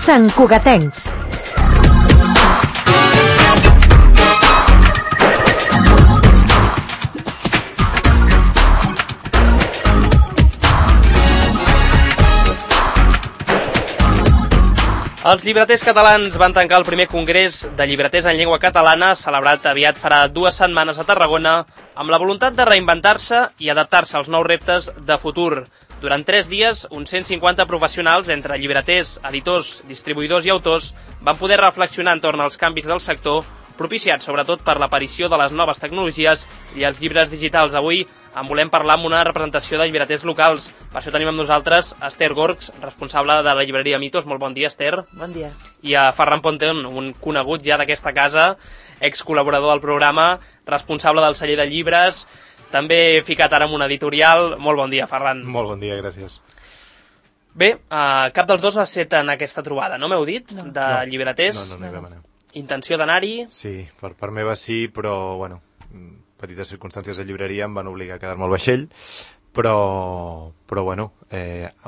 Sant Cugatencs. Els llibreters catalans van tancar el primer congrés de llibreters en llengua catalana, celebrat aviat farà 2 setmanes a Tarragona, amb la voluntat de reinventar-se i adaptar-se als nous reptes de futur. Durant 3 dies, uns 150 professionals, entre llibreters, editors, distribuïdors i autors, van poder reflexionar entorn als canvis del sector, propiciats sobretot per l'aparició de les noves tecnologies i els llibres digitals. Avui en volem parlar amb una representació de llibreters locals. Per això tenim amb nosaltres Esther Gorgs, responsable de la llibreria Mitos. Molt bon dia, Esther. Bon dia. I a Ferran Ponten, un conegut ja d'aquesta casa, excol·laborador del programa, responsable del celler de llibres, també ficat ara en un editorial. Molt bon dia, Ferran. Molt bon dia, gràcies. Bé, cap dels dos ha estat en aquesta trobada, no m'heu dit? No. De llibreters? No hi vam anar. Intenció d'anar-hi? Sí, per part meva sí, però, bueno, petites circumstàncies de llibreria em van obligar a quedar-me al vaixell, però bueno,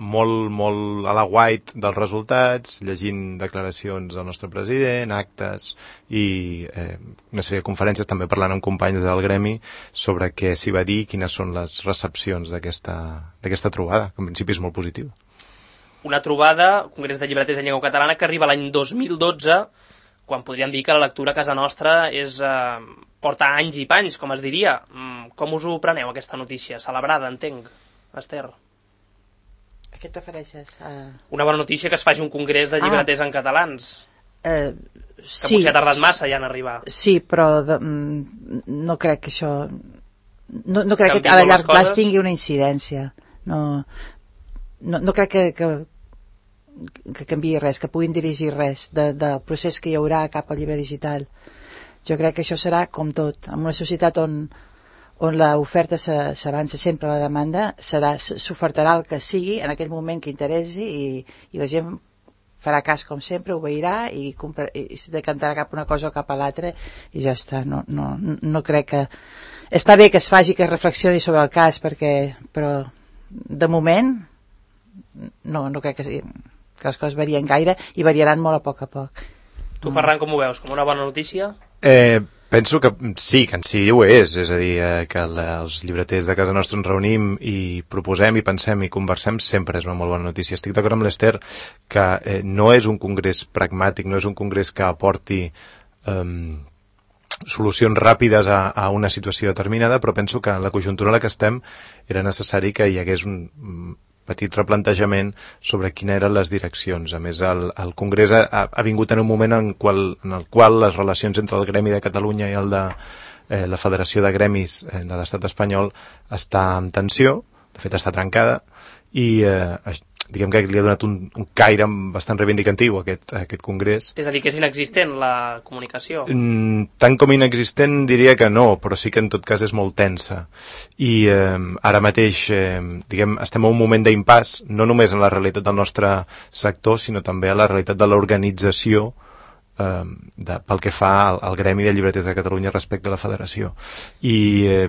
molt a la white dels resultats, llegint declaracions del nostre president, actes i una sèrie de conferències, també parlant amb companys del gremi sobre què s'hi va dir i quines són les recepcions d'aquesta trobada, que en principi és molt positiu. Una trobada, Congrés de Llibreters en Llengua Catalana, que arriba l'any 2012, quan podríem dir que la lectura a casa nostra porta anys i panys, com es diria. Com us ho preneu, aquesta notícia? Celebrada, entenc, Esther. A què et refereixes? Una bona notícia que es faci un congrés de llibreters en catalans. Que Sí, potser ha tardat massa ja en arribar. sí, però no crec que això... No crec que Canvien a les llarg coses? plaç tingui una incidència. No crec que canviï res, que puguin dirigir res del procés que hi haurà cap al llibre digital. Jo crec que això serà com tot. En una societat on l'oferta s'avança sempre a la demanda, s'ofertarà el que sigui en aquell moment que interessi i la gent farà cas com sempre, obeirà i es decantarà cap a una cosa o cap a l'altra i ja està. No crec que... Està bé que es faci, que es reflexioni sobre el cas, però de moment no crec que les coses varien gaire i variaran molt a poc. Tu, Ferran, com ho veus? Com una bona notícia? Penso que sí ho és a dir, que els llibreters de casa nostra ens reunim i proposem i pensem i conversem sempre és una molt bona notícia. Estic d'acord amb l'Esther que no és un congrés pragmàtic, no és un congrés que aporti solucions ràpides a una situació determinada, però penso que en la conjuntura en la que estem era necessari que hi hagués un petit replantejament sobre quines eren les direccions. A més, el Congrés ha vingut en un moment en el qual les relacions entre el Gremi de Catalunya i el de la Federació de Gremis de l'Estat espanyol està en tensió, de fet està trencada, i diguem que li ha donat un caire bastant reivindicatiu a aquest congrés. És a dir, que és inexistent la comunicació? Tant com inexistent diria que no, però sí que en tot cas és molt tensa. I ara mateix estem en un moment d'impàs, no només en la realitat del nostre sector, sinó també a la realitat de l'organització pel que fa al Gremi de Llibreters de Catalunya respecte a la federació. I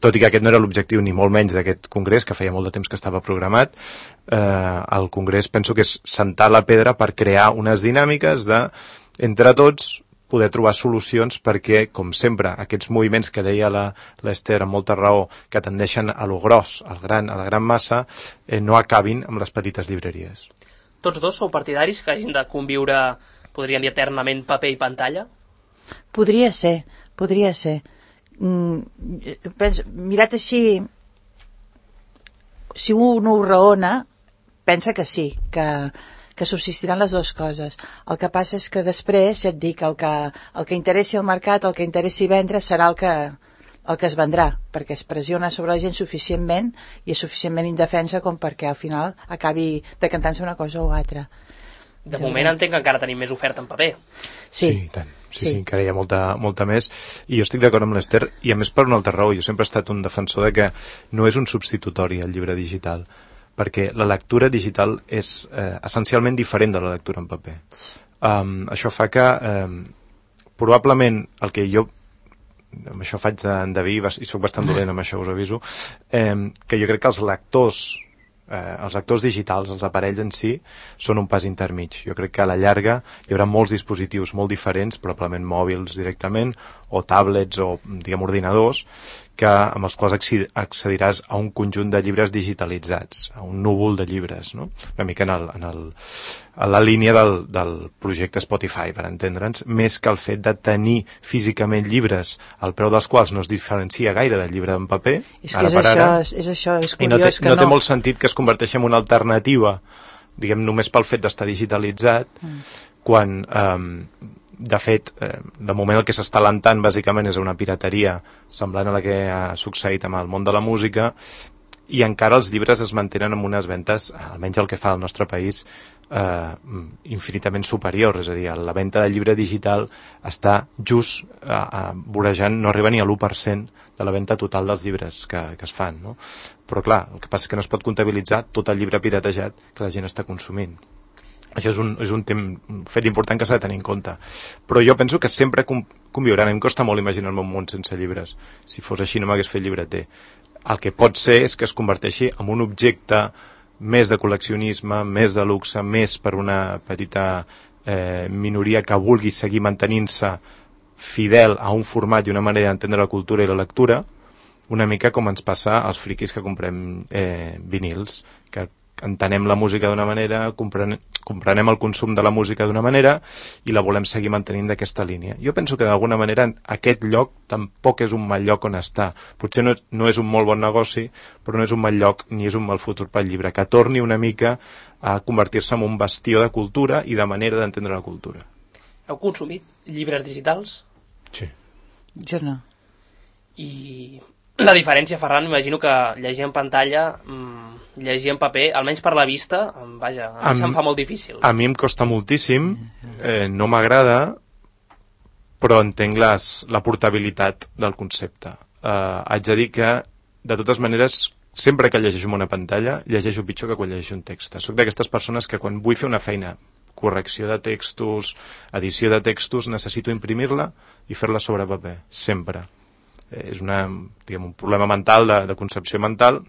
tot i que aquest no era l'objectiu ni molt menys d'aquest congrés, que feia molt de temps que estava programat, el congrés penso que és sentar la pedra per crear unes dinàmiques de, entre tots, poder trobar solucions perquè, com sempre, aquests moviments que deia l'Esther amb molta raó, que tendeixen a lo gros, a la gran massa, no acabin amb les petites llibreries. Tots dos sou partidaris que hagin de conviure, podríem dir, eternament paper i pantalla? Podria ser. Mirat així, si un ho raona, pensa que sí, que subsistiran les dues coses. El que passa és que després, ja et dic, el que interessi al mercat, el que interessi vendre, serà el que es vendrà, perquè es pressiona sobre la gent suficientment i és suficientment indefensa com perquè al final acabi decantant-se una cosa o altra. De moment entenc que encara tenim més oferta en paper. Sí, tant. Sí, encara hi ha molta més. I jo estic d'acord amb l'Esther, i a més per una altra raó. Jo sempre he estat un defensor de que no és un substitutori al llibre digital, perquè la lectura digital és essencialment diferent de la lectura en paper. Això fa que probablement el que jo amb això faig d'endeví, i soc bastant dolent amb això, us aviso, que jo crec que els lectors els lectors digitals, els aparells en si, són un pas intermig. Jo crec que a la llarga hi haurà molts dispositius molt diferents, probablement mòbils directament, o tablets o, diguem, ordinadors, amb els quals accediràs a un conjunt de llibres digitalitzats, a un núvol de llibres, no? Una mica a la línia del projecte Spotify, per entendre'ns, més que el fet de tenir físicament llibres, el preu dels quals no es diferencia gaire del llibre en paper. És que és això, és curiós que no té molt sentit que es converteixi en una alternativa, diguem, només pel fet d'estar digitalitzat, quan... de fet, de moment el que s'està alentant bàsicament és una pirateria semblant a la que ha succeït amb el món de la música, i encara els llibres es mantenen amb unes ventes, almenys el que fa al nostre país, infinitament superior. És a dir, la venda de llibre digital està just vorejant, no arriba ni a l'1% de la venda total dels llibres que es fan, no? Però clar, el que passa és que no es pot comptabilitzar tot el llibre piratejat que la gent està consumint. Això és un fet important que s'ha de tenir en compte. Però jo penso que sempre conviuran. Em costa molt imaginar-me un món sense llibres. Si fos així no m'hagués fet llibreter. El que pot ser és que es converteixi en un objecte més de col·leccionisme, més de luxe, més per una petita minoria que vulgui seguir mantenint-se fidel a un format i una manera d'entendre la cultura i la lectura, una mica com ens passa als friquis que comprem vinils, que entenem la música d'una manera, comprenem el consum de la música d'una manera i la volem seguir mantenint d'aquesta línia. Jo penso que d'alguna manera aquest lloc tampoc és un mal lloc on està. Potser no és un molt bon negoci, però no és un mal lloc ni és un mal futur pel llibre, que torni una mica a convertir-se en un bastió de cultura i de manera d'entendre la cultura. Heu consumit llibres digitals? Sí. Jo no. I la diferència, Ferran, m'imagino que llegir en pantalla, llegir en paper, almenys per la vista, vaja, a mi se'm fa molt difícil. A mi em costa moltíssim, no m'agrada, però entenc la portabilitat del concepte. Haig de dir que, de totes maneres, sempre que llegeixo en una pantalla, llegeixo pitjor que quan llegeixo un text. Soc d'aquestes persones que quan vull fer una feina, correcció de textos, edició de textos, necessito imprimir-la i fer-la sobre paper, sempre. És un problema mental, de concepció mental,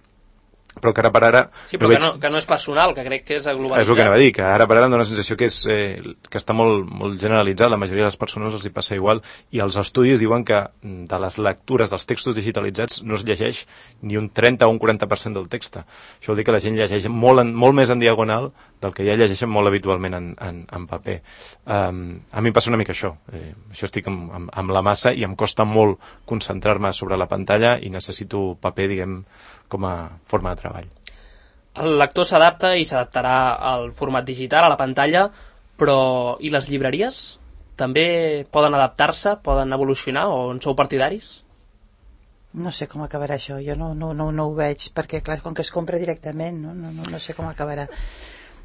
però que ara per ara... Sí, però que no és personal, que crec que és globalitzat. És el que anava a dir, que ara per ara em dóna la sensació que està molt, molt generalitzat, la majoria de les persones els hi passa igual, i els estudis diuen que de les lectures dels textos digitalitzats no es llegeix ni un 30 o un 40% del text. Això vol dir que la gent llegeix molt més en diagonal del que ja llegeixen molt habitualment en paper. A mi em passa una mica això. Això estic amb la massa i em costa molt concentrar-me sobre la pantalla i necessito paper, diguem, com a forma de treball. El lector s'adapta i s'adaptarà al format digital, a la pantalla, però i les llibreries? També poden adaptar-se, poden evolucionar, o en sou partidaris? No sé com acabarà això, jo no ho veig, perquè clar, com que es compra directament, no sé com acabarà.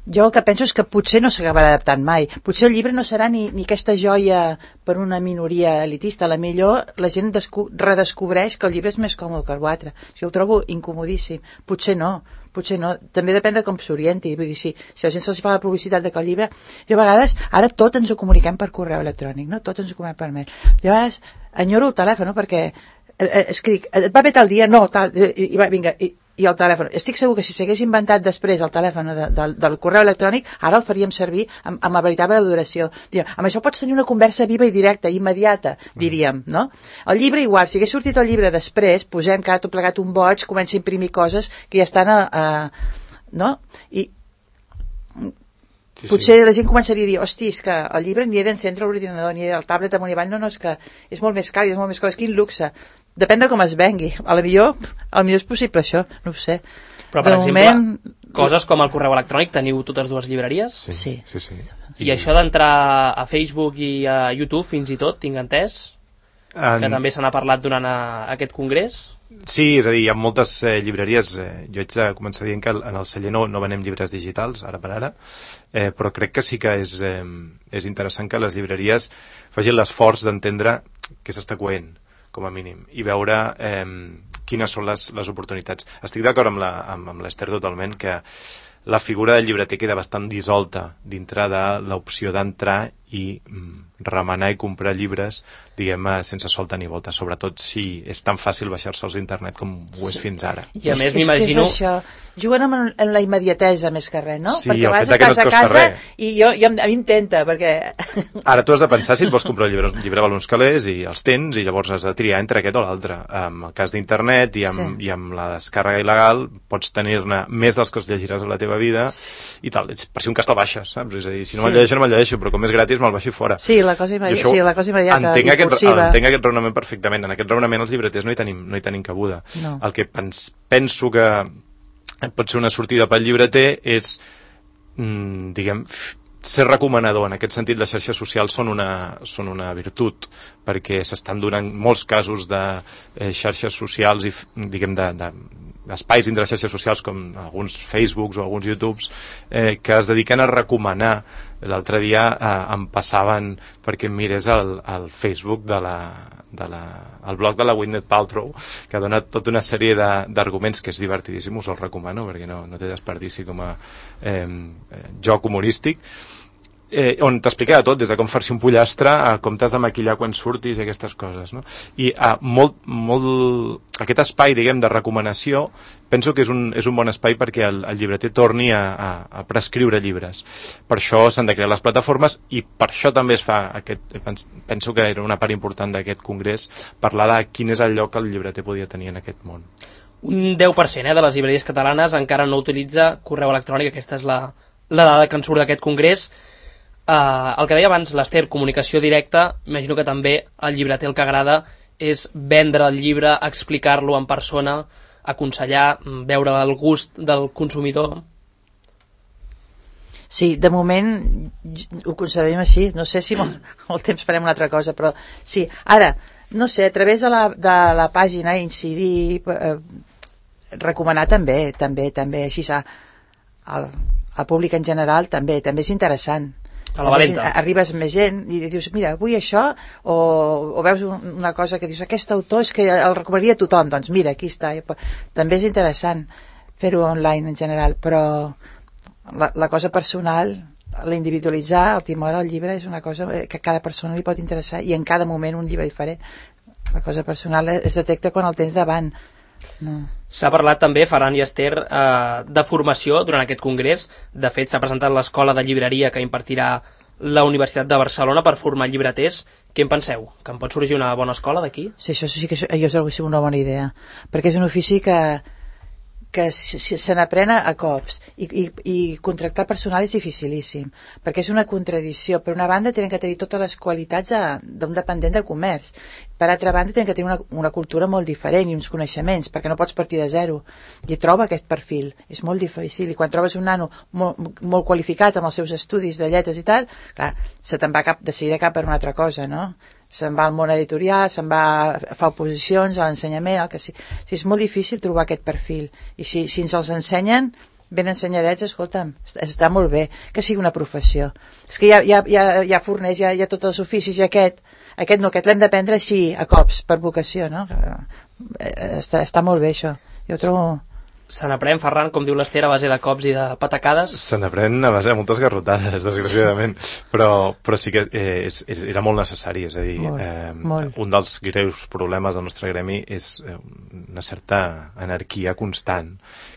Jo el que penso és que potser no s'acabarà adaptant mai. Potser el llibre no serà ni aquesta joia per una minoria elitista. A la millor la gent redescobreix que el llibre és més còmode que el altre. Jo ho trobo incomodíssim. Potser no. També depèn de com s'orienti. Vull dir, si la gent se'ls fa la publicitat de que el llibre... Jo a vegades, ara tot ens ho comuniquem per correu electrònic, no? Tot ens ho comuniquem per mail. Jo a vegades enyoro el telèfon, no? Perquè escric, et va bé tal dia? No, tal... I va, vinga... I el telèfon. Estic segur que si s'hagués inventat després el telèfon del correu electrònic, ara el faríem servir amb la veritable duració. Amb això pots tenir una conversa viva i directa, immediata, diríem, no? El llibre igual, si hagués sortit el llibre després, posem que ara tot plegat un boig, comença a imprimir coses que ja estan no? I potser la gent començaria a dir, hosti, és que el llibre ni he d'encendre l'ordinador, ni he del tablet amunt i avall, no, és que és molt més car, és molt més còmode, quin luxe. Depèn de com es vengui. A la millor és possible això, no ho sé. Però, per exemple, coses com el correu electrònic, teniu totes dues llibreries? Sí. I això d'entrar a Facebook i a YouTube, fins i tot, tinc entès, que també se n'ha parlat durant aquest congrés? Sí, és a dir, hi ha moltes llibreries. Jo haig de començar dient que en el celler no venem llibres digitals, ara per ara, però crec que sí que és interessant que les llibreries facin l'esforç d'entendre què s'està coent, com a mínim, i veure quines són les oportunitats. Estic d'acord amb l'Ester totalment, que la figura del llibreter queda bastant dissolta dintre de l'opció d'entrar i remenar i comprar llibres, diguem, sense solta ni volta, sobretot si és tan fàcil baixar-se'ls a internet com ho és fins ara. I a més m'imagino... Juguen amb la immediatesa més que res, no? Sí, perquè el abans fet que no estàs et a costa casa res. i a mi em tenta, perquè... Ara tu has de pensar si et vols comprar un llibre val uns calés i els tens, i llavors has de triar entre aquest o l'altre. En el cas d'internet i amb la descàrrega il·legal pots tenir-ne més dels que els llegiràs a la teva vida i tal, per si un cas te'l baixes, saps? És a dir, si no me'l llegeixo, no me'l llegeixo, però com és gratis me'l baixo fora. Sí, la cosa immediata, impulsiva. Entenc aquest raonament perfectament. En aquest raonament els llibreters no hi tenim cabuda. No. El que penso que pot ser una sortida pel llibreter és, diguem, ser recomanador. En aquest sentit, les xarxes socials són una virtut, perquè s'estan donant molts casos de xarxes socials i, diguem, d'espais dintre les xarxes socials, com alguns Facebooks o alguns YouTubes, que es dediquen a recomanar. L'altre dia em passaven perquè em mirés el Facebook el blog de la Gwyneth Paltrow, que ha donat tota una sèrie d'arguments que és divertidíssim, us el recomano perquè no té desperdici com a joc humorístic, on t'explica tot, des de com fer-se un pollastre a com t'has de maquillar quan surtis i aquestes coses, no? I aquest espai, diguem, de recomanació penso que és un bon espai perquè el llibreter torni a prescriure llibres. Per això s'han de crear les plataformes i per això també es fa penso que era una part important d'aquest congrés, parlar de quin és el lloc que el llibreter podia tenir en aquest món. Un 10% de les llibreries catalanes encara no utilitza correu electrònic, aquesta és la dada que en surt d'aquest congrés. El que deia abans l'Ester, comunicació directa, imagino que també el llibreter el que agrada és vendre el llibre, explicar-lo en persona, aconsellar, veure el gust del consumidor. Sí, de moment ho concebem així, no sé si molt temps farem una altra cosa, però sí, ara, no sé, a través de la pàgina incidir, recomanar també, així al públic en general també és interessant. A la valenta. Arribes més gent i dius, mira, vull això, o veus una cosa que dius, aquest autor és que el recomanaria a tothom, doncs mira, aquí està. També és interessant fer-ho online en general, però la cosa personal, l'individualitzar, el timor al llibre és una cosa que a cada persona li pot interessar i en cada moment un llibre diferent. La cosa personal es detecta quan el tens davant. No. S'ha parlat també, Ferran i Ester, de formació durant aquest congrés. De fet, s'ha presentat l'escola de llibreria que impartirà la Universitat de Barcelona per formar llibreters. Què en penseu? Que en pot sorgir una bona escola d'aquí? Sí, això sí que és una bona idea, perquè és un ofici que se n'aprèn a cops i contractar personal és dificilíssim, perquè és una contradicció. Per una banda tenen que tenir totes les qualitats d'un dependent de comerç, per altra banda tenen que tenir una cultura molt diferent i uns coneixements, perquè no pots partir de zero, i troba aquest perfil, és molt difícil. I quan trobes un nano molt qualificat amb els seus estudis de lletres i tal, clar, se te'n va de seguida cap per una altra cosa, no? Se'n va al món editorial, se'n va a fer oposicions a l'ensenyament, el que sí. És molt difícil trobar aquest perfil, i si ens els ensenyen ben ensenyadets, escolta'm, està molt bé que sigui una professió. És que ja forneix, hi ha tots els oficis, i aquest l'hem d'aprendre així, a cops, per vocació, no? Està molt bé això, jo trobo... Se n'aprèn, Ferran, com diu l'Ester, a base de cops i de patacades? Se n'aprèn a base de moltes garrotades, desgraciadament, però sí que era molt necessari, és a dir, molt. Un dels greus problemes del nostre gremi és una certa anarquia constant,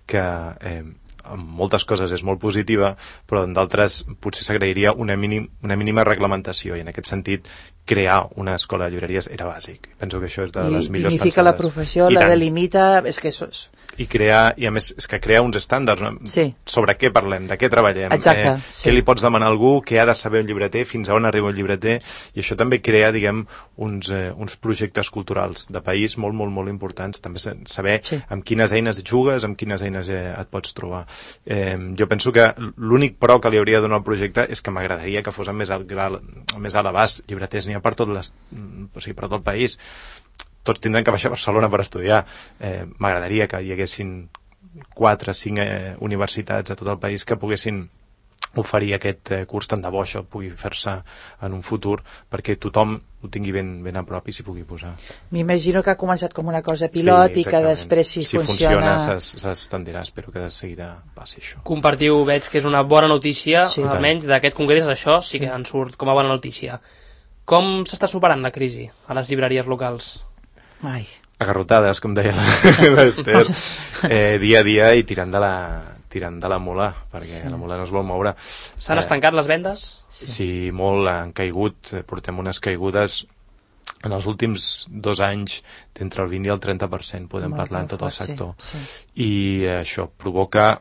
que en moltes coses és molt positiva, però en d'altres potser s'agrairia una mínima reglamentació, i en aquest sentit crear una escola de llibreries era bàsic. Penso que això és de les millors pensades. I dignifica la professió, la delimita, és que això és... I a més, és que crea uns estàndards, no? Sí. Sobre què parlem, de què treballem, sí. Què li pots demanar a algú, què ha de saber un llibreter, fins a on arriba un llibreter, i això també crea, diguem, uns projectes culturals de país molt, molt, molt importants, també saber amb quines eines jugues, amb quines eines et pots trobar. Jo penso que l'únic pro que li hauria de donar al projecte és que m'agradaria que fos més a l'abast. Llibreters n'hi ha per tot el país. Tots tindran que baixar a Barcelona per estudiar. M'agradaria que hi haguessin 4 o 5 universitats a tot el país que poguessin oferir aquest curs, tant de bo això pugui fer-se en un futur, perquè tothom ho tingui ben a prop i s'hi pugui posar. M'imagino que ha començat com una cosa pilot, i que després si funciona s'estendirà. Espero que de seguida passi això. Compartiu, veig que és una bona notícia, almenys d'aquest congrés, això sí que en surt com a bona notícia. Com s'està superant la crisi a les llibreries locals? Ai. Agarrotades, com deia l'Ester, dia a dia i tirant de la mula, perquè la mula no es vol moure. S'han estancat les vendes? Sí, molt, han caigut, portem unes caigudes en els últims 2 anys d'entre el 20 i el 30%, podem parlar en tot el sector. I això provoca...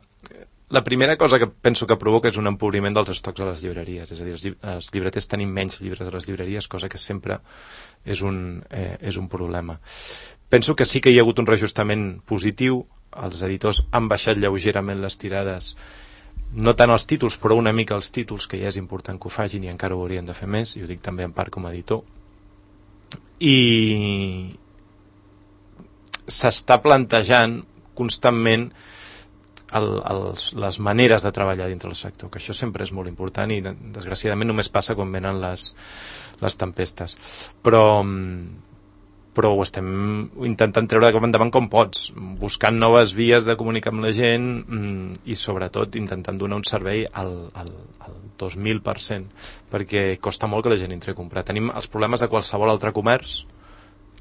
La primera cosa que penso que provoca és un empobriment dels estocs a les llibreries, és a dir, els llibreters tenim menys llibres a les llibreries, cosa que sempre és un problema. Penso que sí que hi ha hagut un reajustament positiu, els editors han baixat lleugerament les tirades, no tant els títols, però una mica els títols, que ja és important que ho facin i encara ho haurien de fer més, i ho dic també en part com a editor. I s'està plantejant constantment les maneres de treballar dintre del sector, que això sempre és molt important i desgraciadament només passa quan venen les tempestes, però ho estem intentant treure cap endavant com pots, buscant noves vies de comunicar amb la gent i sobretot intentant donar un servei al 2000%, perquè costa molt que la gent entri a comprar. Tenim els problemes de qualsevol altre comerç,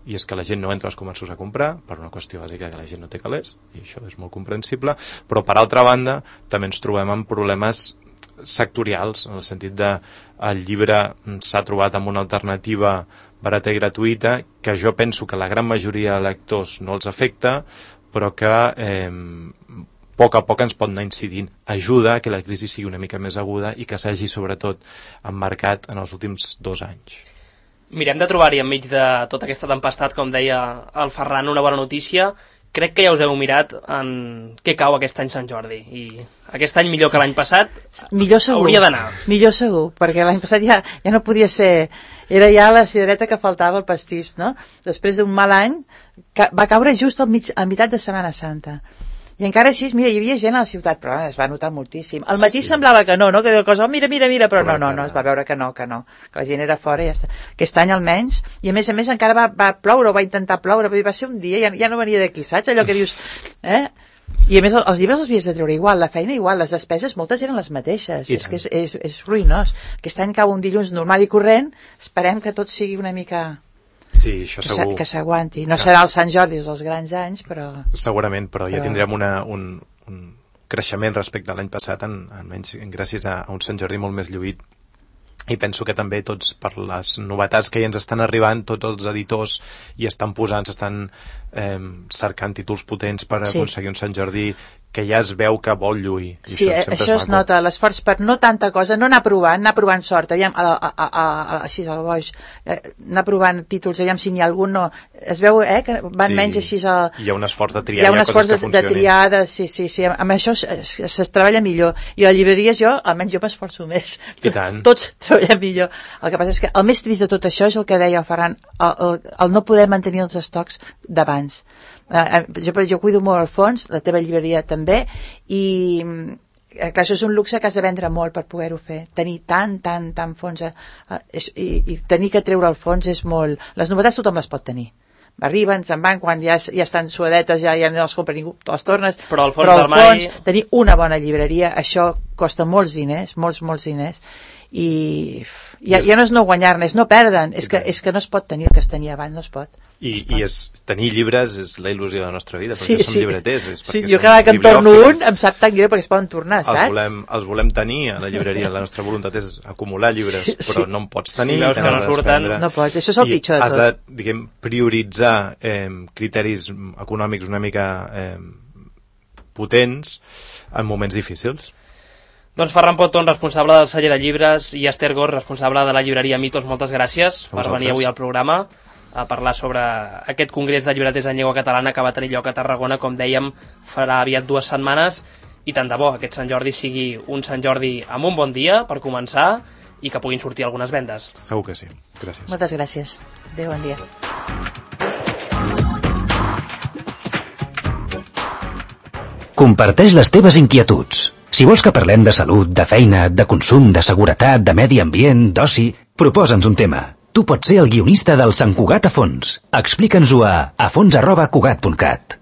i és que la gent no entra als comerços a comprar per una qüestió bàsica que la gent no té calés, i això és molt comprensible, però per altra banda també ens trobem amb problemes sectorials, en el sentit de el llibre s'ha trobat amb una alternativa barata i gratuïta que jo penso que la gran majoria de lectors no els afecta, però que a poc ens pot anar incidint. Ajuda a que la crisi sigui una mica més aguda i que s'hagi sobretot emmarcat en els últims 2 anys. Mirem de trobar-hi enmig de tota aquesta tempestat, com deia el Ferran, una bona notícia. Crec que ja us heu mirat en què cau aquest any Sant Jordi, i aquest any millor que l'any passat hauria d'anar. Millor segur, perquè l'any passat ja no podia ser, era ja la cirereta que faltava, el pastís, no? Després d'un mal any, va caure just a meitat de Setmana Santa. I encara així, mira, hi havia gent a la ciutat, però es va notar moltíssim. Al matí semblava que no, que cosa, mira, però no, es va veure que no, que la gent era fora i ja està. Aquest any almenys, i a més encara va ploure, o va intentar ploure, va ser un dia, ja no venia d'aquí, saps? Allò que dius, I a més els llibres els havies de treure igual, la feina igual, les despeses moltes eren les mateixes, és que és ruïnós. Aquest any cau un dilluns normal i corrent, esperem que tot sigui una mica... Sí, això segur. Que s'aguanti. No serà el Sant Jordi dels grans anys, però... Segurament, però ja tindrem un creixement respecte a l'any passat, almenys gràcies a un Sant Jordi molt més lluït. I penso que també tots, per les novetats que ja ens estan arribant, tots els editors hi estan posant, s'estan cercant títols potents per aconseguir un Sant Jordi que ja es veu que vol lluir. Sí, això es nota, l'esforç per no tanta cosa, no anar provant sort, aviam, així al boix, anar provant títols, aviam si n'hi ha algun, no, es veu que van menys així... Hi ha un esforç de triar, hi ha un esforç de triar, sí, amb això es treballa millor, i a llibreries almenys jo m'esforço més. I tant. Tots treballem millor. El que passa és que el més trist de tot això és el que deia el Ferran, el no poder mantenir els estocs d'abans. Jo cuido molt el fons, la teva llibreria també, i clar, això és un luxe que has de vendre molt per poder-ho fer, tenir tant fons i tenir que treure el fons és molt... Les novetats tothom les pot tenir, arriben, se'n van, quan ja estan suadetes ja no els compra ningú, te les tornes, però el fons, tenir una bona llibreria, això costa molts diners, molts diners, i ja no és no guanyar-ne, és no perdre'n, és que no es pot tenir el que es tenia abans, no es pot. I tenir llibres és la il·lusió de la nostra vida, perquè som llibreters. Sí, jo cada que en torno un em sap tan greu perquè es poden tornar, saps? Els volem tenir a la llibreria, la nostra voluntat és acumular llibres, però no en pots tenir. Veus que no surten. No pots, això és el pitjor de tot. Has de, prioritzar criteris econòmics una mica potents en moments difícils. Doncs Ferran Poton, responsable del celler de llibres, i Ester Gors, responsable de la llibreria Mitos, moltes gràcies per venir avui al programa a parlar sobre aquest congrés de llibreters en llengua catalana que va tenir lloc a Tarragona, com dèiem, farà aviat 2 setmanes, i tant de bo aquest Sant Jordi sigui un Sant Jordi amb un bon dia per començar i que puguin sortir algunes vendes. Segur que sí. Gràcies. Moltes gràcies. Adéu, bon dia. Comparteix les teves inquietuds. Si vols que parlem de salut, de feina, de consum, de seguretat, de medi ambient, d'oci, proposa'ns un tema. Tu pots ser el guionista del Sant Cugat a fons. Explica'ns-ho a fons@cugat.cat.